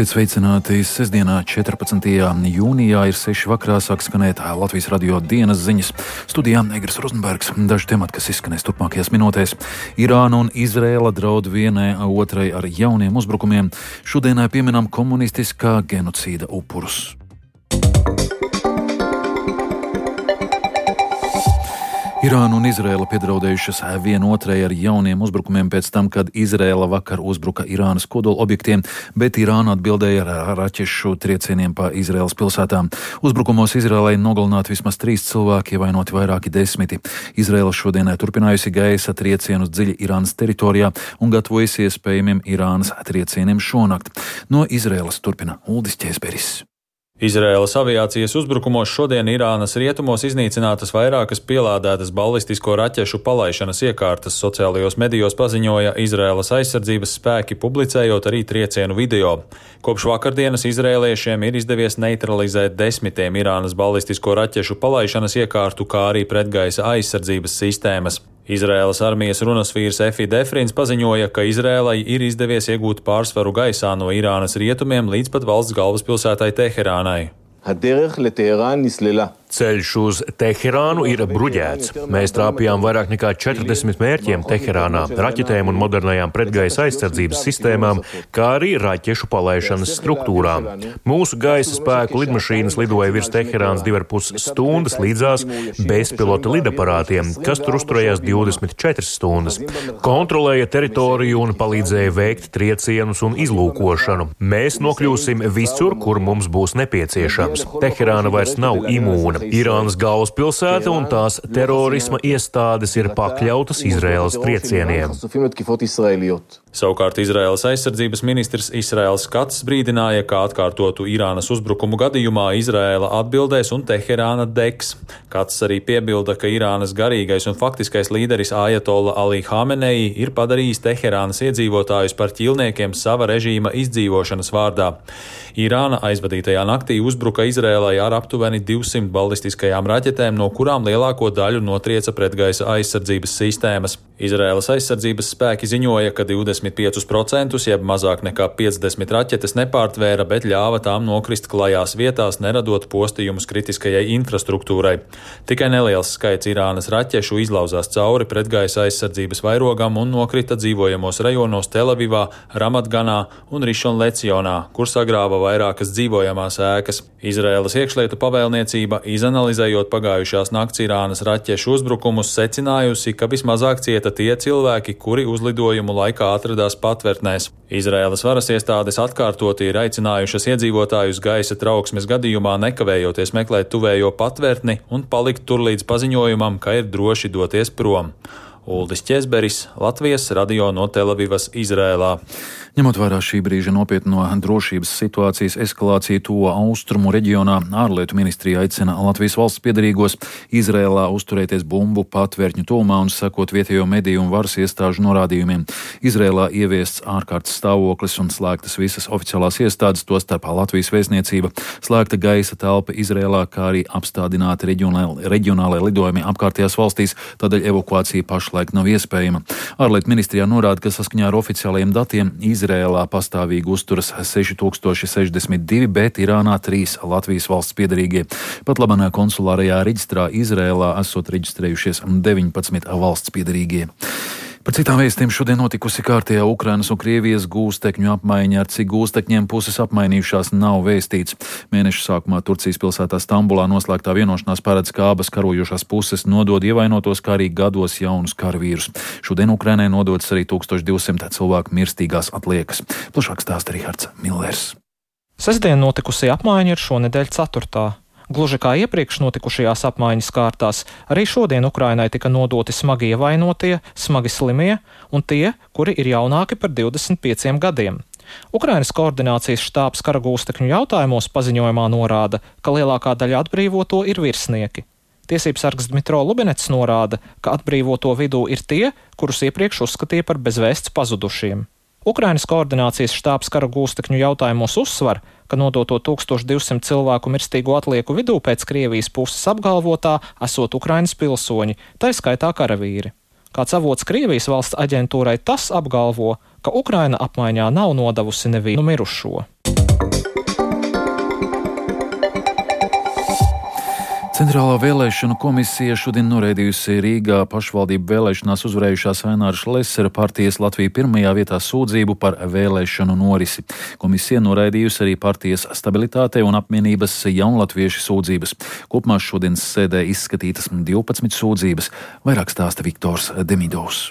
Esiet sveicināti. Sestdienā, 14. jūnijā, ir 6 vakarā sāk skanēt Latvijas radio dienas ziņas. Studijā Egris Rozenbergs. Daži temati, kas izskanēs turpmākajās minūtēs. Irāna un Izraela draud vienai otrai ar jauniem uzbrukumiem. Šodienai pieminam komunistiskā genocīda upurus. Irāna un Izraela piedraudējušas vienotrai ar jauniem uzbrukumiem pēc tam, kad Izraela vakar uzbruka Irānas kodola objektiem, bet Irāna atbildēja ar raķešu triecieniem pa Izraēlas pilsētām. Uzbrukumos Izraēlai nogalināti vismaz 3 cilvēki, ievainoti vairāki desmiti. Izraēla šodienai turpinājusi gaisa triecienus dziļi Irānas teritorijā un gatavojas iespējamiem Irānas triecieniem šonakt. No Izraēlas turpina Uldis Ķēzberis. Izraēlas aviācijas uzbrukumos šodien Irānas rietumos iznīcinātas vairākas pielādētas balistisko raķešu palaišanas iekārtas, sociālajos medijos paziņoja Izraēlas aizsardzības spēki, publicējot arī triecienu video. Kopš vakardienas izrēliešiem ir izdevies neutralizēt 10 Irānas balistisko raķešu palaišanas iekārtu, kā arī pretgaisa aizsardzības sistēmas. Izraēlas armijas runasvīrs Efi Defrins paziņoja, ka Izraēlai ir izdevies iegūt pārsvaru gaisā no Irānas rietumiem līdz pat valsts galvaspilsētai Teherānai. Ceļš uz Teherānu ir bruģēts. Mēs trāpījām vairāk nekā 40 mērķiem Teherānā, raķetēm un modernajām pretgaisa aizsardzības sistēmām, kā arī raķešu palaišanas struktūrām. Mūsu gaisa spēku lidmašīnas lidoja virs Teherānas 2,5 stundas līdzās bezpilota lidaparātiem, kas tur uzturējās 24 stundas. Kontrolēja teritoriju un palīdzēja veikt triecienus un izlūkošanu. Mēs nokļūsim visur, kur mums būs nepieciešams. Teherāna vairs nav imūna. Irānas galvaspilsēta un tās terorisma iestādes ir pakļautas Izraēlas triecieniem. Savukārt Izraēlas aizsardzības ministrs Israēls Kats brīdināja, ka atkārtotu Irānas uzbrukumu gadījumā Izraēla atbildēs un Teherāna degs. Kats arī piebilda, ka Irānas garīgais un faktiskais līderis Ajatolla Ali Hamenei ir padarījis Teherānas iedzīvotājus par ķīlniekiem sava režīma izdzīvošanas vārdā. Irāna aizvadītajā naktī uzbruka Izraēlai ar aptuveni 200 balistiskajām raķetēm, no kurām lielāko daļu notrieca pretgaisa aizsardzības sistēmas. Izraēlas aizsardzības spēki ziņoja, ka 25%, jeb mazāk nekā 50 raķetes nepārtvēra, bet ļāva tām nokrist klajās vietās, neradot postījumus kritiskajai infrastruktūrai. Tikai neliels skaits Irānas raķešu izlauzās cauri pretgaisa aizsardzības vairogam un nokrita dzīvojamos rajonos Telavivā, Ramatganā un Rišonlecionā, kur sagrāva vairākas dzīvojamās ēkas. Izraēlas iekšlietu pavēlniecība, izanalizējot pagājušās nakts Irānas raķešu uzbrukumus, secinājusi, ka vismazāk cieta tie cilvēki, kuri uzlidojumu laikā atradās patvērtnēs. Izraēlas varas iestādes atkārtoti ir aicinājušas iedzīvotājus gaisa trauksmes gadījumā nekavējoties meklēt tuvējo patvērtni un palikt tur līdz paziņojumam, ka ir droši doties prom. Uldis Ķēzberis, Latvijas radio no Telavivas, Izrēlā. Ņemot vērā šī brīža nopietno drošības situācijas eskalāciju tuvo austrumu reģionā, ārlietu ministrija aicina Latvijas valsts piederīgos Izrēlā uzturēties bumbu patvērtņu tuvumā un sekot vietējo mediju un varas iestāžu norādījumiem. Izrēlā ieviests ārkārtas stāvoklis un slēgtas visas oficiālās iestādes, tostarp Latvijas vēstniecība, slēgta gaisa telpa Izrēlā, kā arī apstādināti reģionālai lidojumi apkārtējās valstīs, tādēļ evakuācija pašlaik nav iespējama. Ārlietu ministrijā norāda, ka saskaņā ar oficiālajiem datiem Izrēlā pastāvīgi uzturas 6062, bet Irānā 3 Latvijas valsts piederīgie. Pat labanā konsulārajā reģistrā Izrēlā esot reģistrējušies 19 valsts piederīgie. Par citām vēstiem šodien notikusi kārtējā Ukrainas un Krievijas gūstekņu apmaiņa, ar cik gūstekņiem puses apmainījušās nav vēstīts. Mēneša sākumā Turcijas pilsētā Stambulā noslēgtā vienošanās paredz, ka abas karojošās puses nodod ievainotos, kā arī gados jaunus karavīrus. Šodien Ukrainai nodotas arī 1200 cilvēku mirstīgās atliekas. Plašāk stāsta Rihards Millers. Sestdien notikusī apmaiņa ir šonedēļ 4. Gluži kā iepriekš notikušajās apmaiņas kārtās, arī šodien Ukrainai tika nodoti smagi ievainotie, smagi slimie un tie, kuri ir jaunāki par 25 gadiem. Ukrainas koordinācijas štābs karagūstekņu jautājumos paziņojumā norāda, ka lielākā daļa atbrīvoto ir virsnieki. Tiesības sargs Dmitro Lubinets norāda, ka atbrīvoto vidū ir tie, kurus iepriekš uzskatīja par bezvēsts pazudušiem. Ukrainas koordinācijas štābs karagūstekņu jautājumos uzsver, ka nodoto 1200 cilvēku mirstīgo atlieku vidū pēc Krievijas puses apgalvotā esot Ukrainas pilsoņi, tai skaitā karavīri. Kāds avots Krievijas valsts aģentūrai tas apgalvo, ka Ukraina apmaiņā nav nodevusi nevienu mirušo. Centrālā vēlēšanu komisija šodien noraidījusi Rīgā pašvaldību vēlēšanās uzvarējušās Aināra Šlesera partijas Latvija pirmajā vietā sūdzību par vēlēšanu norisi. Komisija noraidījusi arī partijas stabilitātei un apvienības jaunlatvieši sūdzības. Kopumā šodienas sēdē izskatītas 12 sūdzības, vairāk stāsta Viktors Demidovs.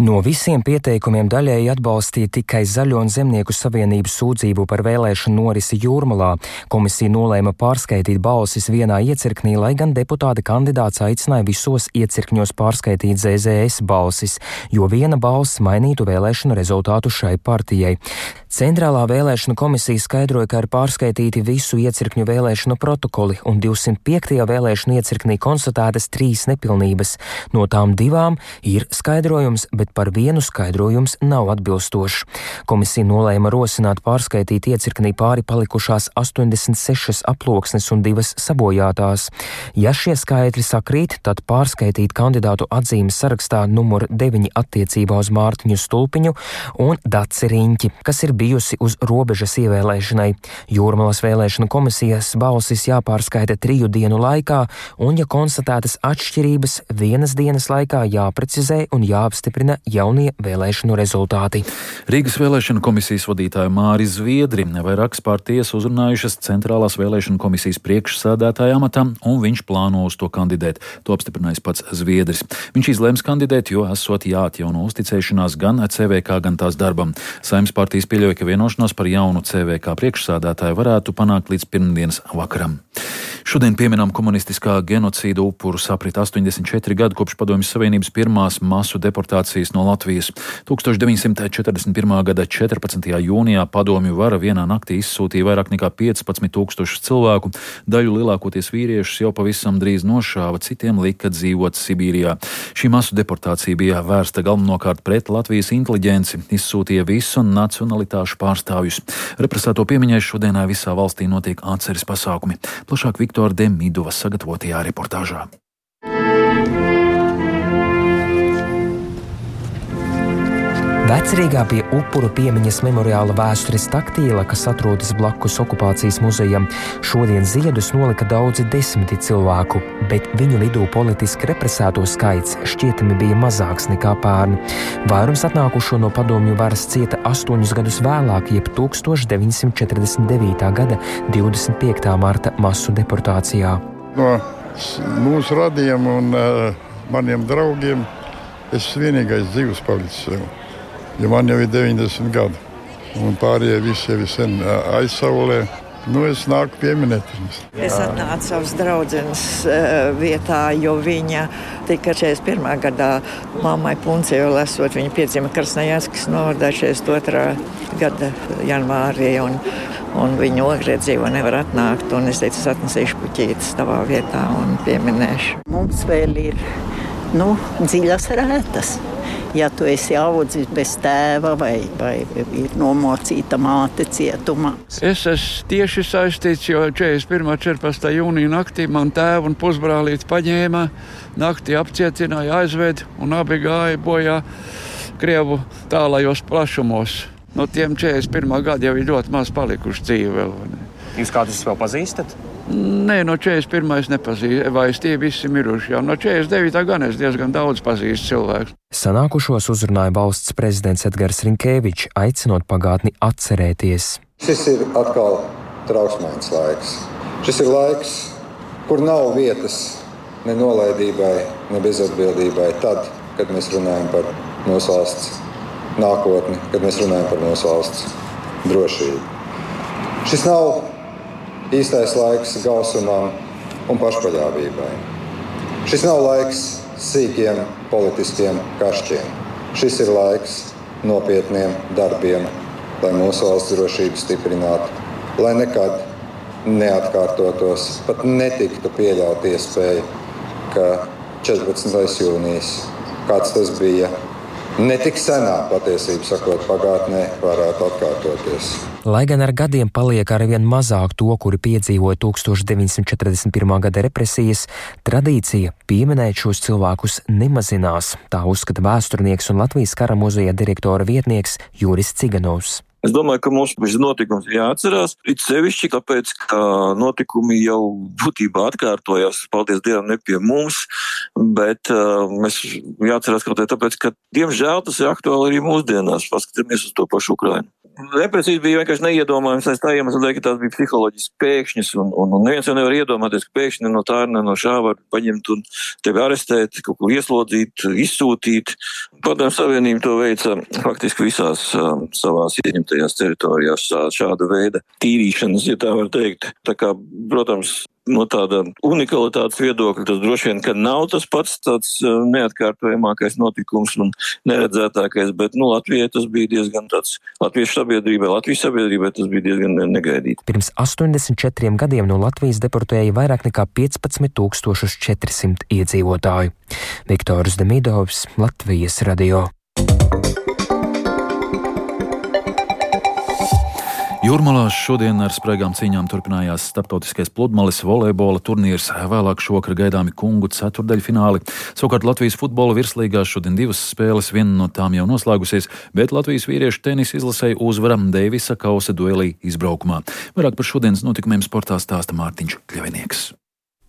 No visiem pieteikumiem daļēji atbalstīja tikai Zaļo un Zemnieku savienības sūdzību par vēlēšanu norisi Jūrmalā. Komisija nolēma pārskaitīt balsis vienā iecirknī, lai gan deputāta kandidāts aicināja visos iecirkņos pārskaitīt ZZS balsis, jo viena balss mainītu vēlēšanu rezultātu šai partijai. Centrālā vēlēšanu komisija skaidroja, ka ir pārskaitīti visu iecirkņu vēlēšanu protokoli un 205. vēlēšanu iecirknī konstatētas 3 nepilnības. No tām 2 ir skaidrojums, bet par vienu skaidrojums nav atbilstošs. Komisija nolēma rosināt pārskaitīt iecirknī pāri palikušās 86 aploksnes un 2 sabojātās. Ja šie skaitļi sakrīt, tad pārskaitīt kandidātu atzīmes sarakstā numur 9 attiecībā uz Mārtiņu Stulpiņu un Daci Riņķi, kas ir bijusi uz robežas ievēlēšanai. Jūrmalas vēlēšanu komisijas balsis jāpārskaita 3 dienu laikā, un, ja konstatētas atšķirības, 1 dienas laikā jāprecizē un jāapstiprina jaunie vēlēšanu rezultāti. Rīgas vēlēšanu komisijas vadītāja Māri Zviedri vairākas partijas uzrunājušas Centrālās vēlēšanu komisijas priekšsēdētāja amatam, un viņš plāno uz to kandidēt. To apstiprinājis pats Zviedris. Viņš izlēms kandidēt, jo esot jāatjauno uzticēšanās gan CVK, gan tās darbam. Saeimas partijas pieļauj, ka vienošanos par jaunu CVK priekšsēdētāju varētu panākt līdz pirmdienas vakaram. Šodien pieminām komunistiskā genocīda upuru saprit 84 gadu kopš Padomju Savienības pirmās masu deportācijas no Latvijas. 1941. gada 14. jūnijā padomju vara vienā naktī izsūtīja vairāk nekā 15,000 cilvēku, daļu lielākoties vīriešus jau pavisam drīz nošāva, citiem lika dzīvot Sibīrijā. Šī masu deportācija bija vērsta galvenokārt pret Latvijas inteliģenci, izsūtīja visu nacionalitāšu pārstāvjus. Represēto piemiņai šodienā visā valstī notiek atceres pasākumi. Plašāk Viktora Demidova sagatavotajā reportāžā. Vecrīgā pie upuru piemiņas memoriāla Vēstures taktīla, kas atrodas blakus okupācijas muzejam, šodien ziedus nolika daudzi desmiti cilvēku, bet viņu vidū politiski represēto skaits šķietami bija mazāks nekā pērn. Vairums atnākušo no padomju varas cieta 8 gadus vēlāk, jeb 1949. gada 25. marta masu deportācijā. No mūsu radiem un maniem draugiem es vienīgais dzīvs palicis jau. Jo man jau ir 90 gadi, un pārējie visi jau ir sen aizsaulē. Es nāku pieminēt. Es atnācu savas draudzenes vietā, jo viņa tika 41. gadā mammai Puncei, jo esot viņa piedzima Krasnojārskis novadā 42. gada janvārī, un viņa ogrie dzīvo nevar atnākt, un es teicu, es atnesīšu puķītes tavā vietā un pieminēšu. Mums vēl ir, dziļas rētas. Ja tu esi audzis bez tēva vai ir nomocīta māte cietumā. Es esmu tieši saistīts, jo 41. 14. jūnija naktī man tēvu un pusbrālīti paņēma, naktī apcietināja, aizved un abi gāja bojā Krievu tālajos plašumos. No tiem 41. gadi jau ir ļoti maz palikuši dzīvi vēl. Jūs kādus vēl pazīstat? Nē, no 41. nepazīstu, vai tie visi miruši jau. No 49. gan es diezgan daudz pazīstu cilvēku. Sanākušos uzrunāja valsts prezidents Edgars Rinkēvičs, aicinot pagātni atcerēties. Šis ir atkal trauksmains laiks. Šis ir laiks, kur nav vietas ne nolaidībai, ne bezatbildībai tad, kad mēs runājam par mūsu valsts nākotni, kad mēs runājam par mūsu valsts drošību. Šis nav īstais laiks gausumam un pašpaļāvībai. Šis nav laiks sīkiem politiskiem kašķiem. Šis ir laiks nopietniem darbiem, lai mūsu valsts drošību stiprinātu, lai nekad neatkārtotos, pat netiktu pieļaut iespēju, ka 14. jūnijas, kāds tas bija, netik senā patiesību sakot pagātnē, varētu atkārtoties. Lai gan ar gadiem paliek arvien mazāk to, kuri piedzīvoja 1941. gada represijas, tradīcija pieminēt šos cilvēkus nemazinās, tā uzskata vēsturnieks un Latvijas kara muzeja direktora vietnieks Juris Ciganovs. Es domāju, ka mums šis notikums ir jāatcerās, it sevišķi, tāpēc, ka notikumi jau būtībā atkārtojās, paldies Dievam, ne pie mums, bet mēs jāatcerās kaut tāpēc, ka, diemžēl, tas ir aktuāli arī mūsdienās, paskatāmies uz to pašu Ukrainu. Neprecīzi bija vienkārši neiedomājums aiz tā iemesla, ka tās bija psiholoģiski pēkšņas, un neviens jau nevar iedomāties, ka pēkšņi no tā ne no šā var paņemt un tevi arestēt, kaut kur ieslodzīt, izsūtīt. Padomju Savienība to veica faktiski visās savās ieņemtajās teritorijās šāda veida tīrīšanas, ja tā var teikt. Tā kā, protams, no tāda unikalitātes viedokļa tas droši vien, ka nav tas pats tāds neatkārtojamākais notikums un neredzētākais, bet Latvijai tas bija diezgan tāds, Latvijas sabiedrībai tas bija diezgan negaidīti. Pirms 84 gadiem no Latvijas deportēja vairāk nekā 15 400 iedzīvotāju. Viktors Demidovs, Latvijas radio. Jūrmalās šodien ar spraigām cīņām turpinājās starptautiskais pludmales volejbola turnīrs, vēlāk šovakar gaidāmi kungu ceturdaļfināli. Savukārt Latvijas futbola virslīgās šodien 2 spēles, viena no tām jau noslēgusies, bet Latvijas vīriešu tenisa izlasēja uzvara Deivisa kausa duelī izbraukumā. Vairāk par šodienas notikumiem sportā stāsta Mārtiņš Kļavinieks.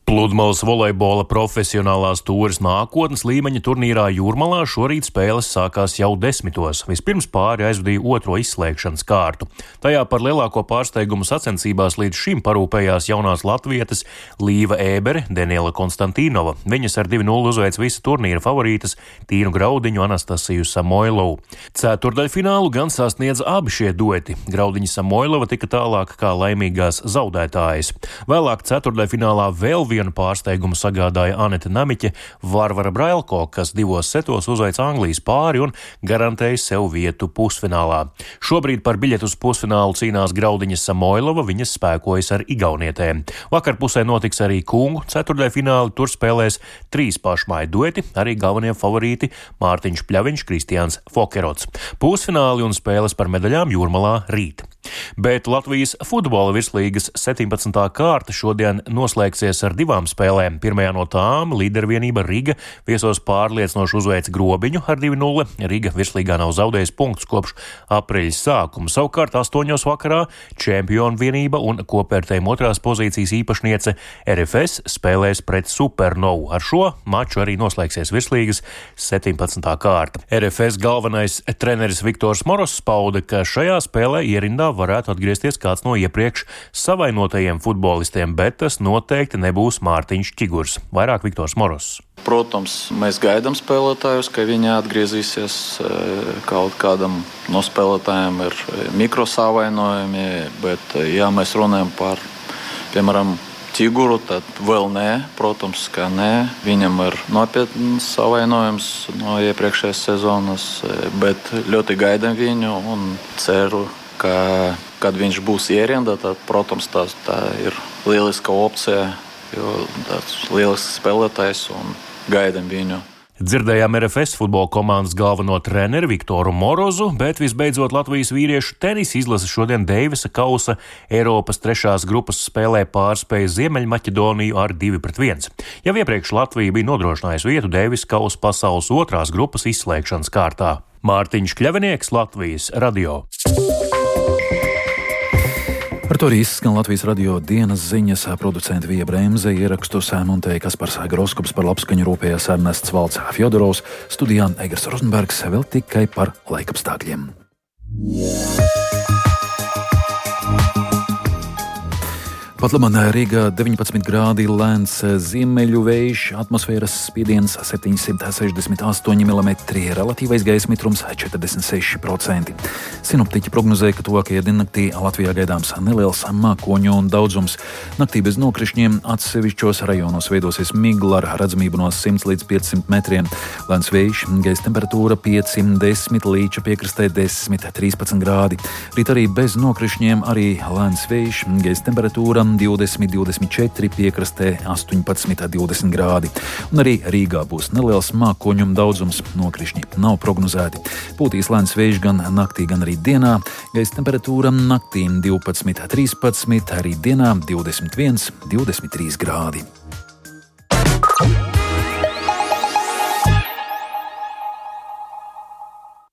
Pludmales volejbola profesionālās tūres nākotnes līmeņa turnīrā Jūrmalā šorīt spēles sākās jau 10. Vispirms pāri aizvadīja otro izslēgšanas kārtu. Tajā par lielāko pārsteigumu sacensībās līdz šim parūpējās jaunās latvietes Līva Ēbere, Daniela Konstantīnova. Viņas ar 2-0 uzveic visu turnīra favorītas Tīnu Graudiņu, Anastasiju Samoilovu. Ceturdaļfinālu gan sasniedz abi šie dueti. Graudiņa Samoilova tika tālāk kā laimīgās zaudētājas. Vēlāk ceturdaļfinālā vēl vienu pārsteigumu sagādāja Aneta Namiķe, Varvara Brailko, kas 2 setos uzveic Anglijas pāri un garantēja sev vietu pusfinālā. Šobrīd par biļetu uz pusfinālu cīnās Graudiņa Samoilova, viņas spēkojas ar igaunietēm. Vakarpusē notiks arī kungu ceturdaļfināli, tur spēlēs 3 pašmāju dueti, arī galvenie favorīti Mārtiņš Pļaviņš, Kristiāns Fokerots. Pusfināli un spēles par medaļām Jūrmalā rīt. Bet Latvijas futbola virslīgas 17. kārta šodien noslēgsies ar 2 spēlēm. Pirmajā no tām līdervienība Riga viesos pārliecinoši uzveic Grobiņu ar 2-0. Riga virslīgā nav zaudējusi punktus kopš aprīļa sākuma. Savukārt 8. vakarā čempionu vienība un kopvērtējuma 2. pozīcijas īpašniece RFS spēlēs pret Supernovu. Ar šo maču arī noslēgsies virslīgas 17. kārta. RFS galvenais treneris Viktors Moros pauda, ka šajā spēlē ierindā varētu atgriezties kāds no iepriekš savainotajiem futbolistiem, bet tas noteikti nebūs Mārtiņš Čigurs. Vairāk Viktors Moros. Protams, mēs gaidām spēlētājus, ka viņi atgriezīsies. Kaut kādam no spēlētājiem ir mikrosavainojumi, bet ja mēs runājam par, piemēram, Čiguru, tad vēl nē, protams, ka nē. Viņam ir nopietns savainojums no iepriekšējās sezonas, bet ļoti gaidām viņu un ceru, ka, kad viņš būs ierindā, tad, protams, tā ir lieliska opcija, jo tāds lielisks spēlētājs un gaidām viņu. Dzirdējām RFS futbola komandas galveno treneri Viktoru Morozu, bet visbeidzot Latvijas vīriešu tenisa izlase šodien Deivisa kausa Eiropas 3. grupas spēlē pārspēja Ziemeļmaķedoniju ar 2-1. Jau iepriekš Latvija bija nodrošinājusi vietu Deivisa kausa pasaules 2. grupas izslēgšanas kārtā. Mārtiņš Kļavinieks, Latvijas radio. Ar to arī izskan Latvijas radio dienas ziņas. Producenti Vija Bremze, ierakstus montēja Kaspars Groskops, par labskaņu rūpējās Ernests Valds Fjodorovs, studijā Egers Rozenbergs, vēl tikai par laikapstākļiem. Pat labāk Rīgā 19 grādi, lēns ziemeļu vējš, atmosfēras spiediens 768 mm, relatīvais gaisa mitrums 46%. Sinoptiķi prognozēja, ka tuvākajā diennaktī Latvijā gaidāms neliels mākoņu un daudzums. Naktī bez nokrišņiem atsevišķos rajonos veidosies migla ar redzamību no 100 līdz 500 metriem. Lēns vējš, gaisa temperatūra 5-10, līča piekrastē 10-13 grādi. Rīt arī bez nokrišņiem, arī lēns vējš, gaisa temperatūra 20-24, piekrastē 18-20 grādi. Un arī Rīgā būs neliels mākoņu daudzums, nokrišņi nav prognozēti. Pūtīs lēns vējš gan naktī, gan arī dienā. Gaisa temperatūra naktī 12-13, arī dienā 21-23 grādi.